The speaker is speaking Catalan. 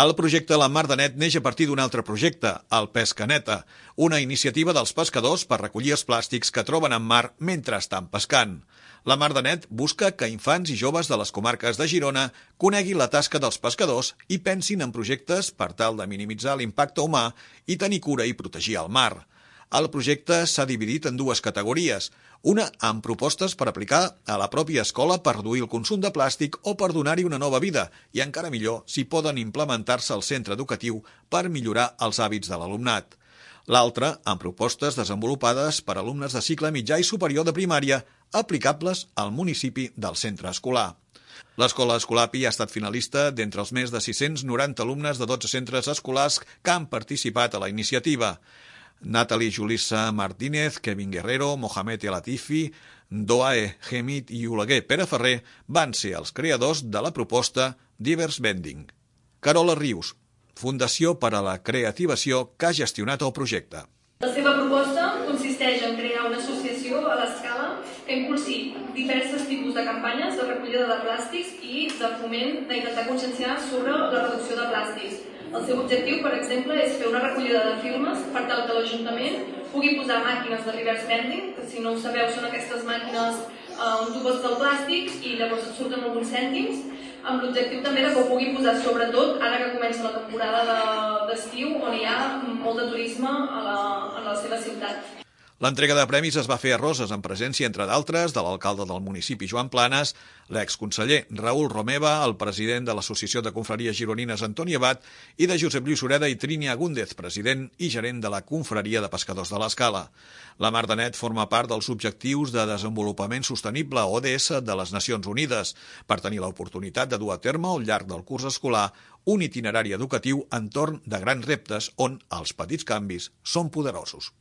El projecte La Mar de Net neix a partir d'un altre projecte, el Pesca Neta, una iniciativa dels pescadors per recollir els plàstics que troben en mar mentre estan pescant. La Mar de Net busca que infants i joves de les comarques de Girona coneguin la tasca dels pescadors i pensin en projectes per tal de minimitzar l'impacte humà i tenir cura i protegir el mar. El projecte s'ha dividit en dues categories, una amb propostes per aplicar a la pròpia escola per reduir el consum de plàstic o per donar-hi una nova vida, i encara millor si poden implementar-se al centre educatiu per millorar els hàbits de l'alumnat. L'altra amb propostes desenvolupades per alumnes de cicle mitjà i superior de primària aplicables al municipi del centre escolar. L'escola Escolapi ha estat finalista d'entre els més de 690 alumnes de 12 centres escolars que han participat a la iniciativa. Natalie Julissa Martínez, Kevin Guerrero, Mohamed El Latifi, Doae Gemit i Oleguer Pere Ferrer van ser els creadors de la proposta Divers Vending. Carola Rius, Fundació per a la Creativació, que ha gestionat el projecte. La seva proposta consisteix en crear una associació a l'escala que impulsi diversos tipus de campanyes de recollida de plàstics i de foment d'intentar conscienciar sobre la reducció de plàstics. El seu objectiu, per exemple, és fer una recollida de firmes per tal que l'Ajuntament pugui posar màquines de reverse vending, que si no ho sabeu són aquestes màquines on tu pots el plàstic i llavors et surten alguns cèntims, amb l'objectiu també que ho pugui posar sobretot ara que comença la temporada d'estiu on hi ha molt de turisme a la seva ciutat. L'entrega de premis es va fer a Roses en presència, entre d'altres, de l'alcalde del municipi Joan Planes, l'exconseller Raül Romeva, el president de l'Associació de Confraries Gironines Antoni Abat i de Josep Lluís Sureda i Trini Agúndez, president i gerent de la Confraria de Pescadors de l'Escala. La Mar de Net forma part dels Objectius de Desenvolupament Sostenible, ODS, de les Nacions Unides, per tenir l'oportunitat de dur a terme al llarg del curs escolar un itinerari educatiu entorn de grans reptes on els petits canvis són poderosos.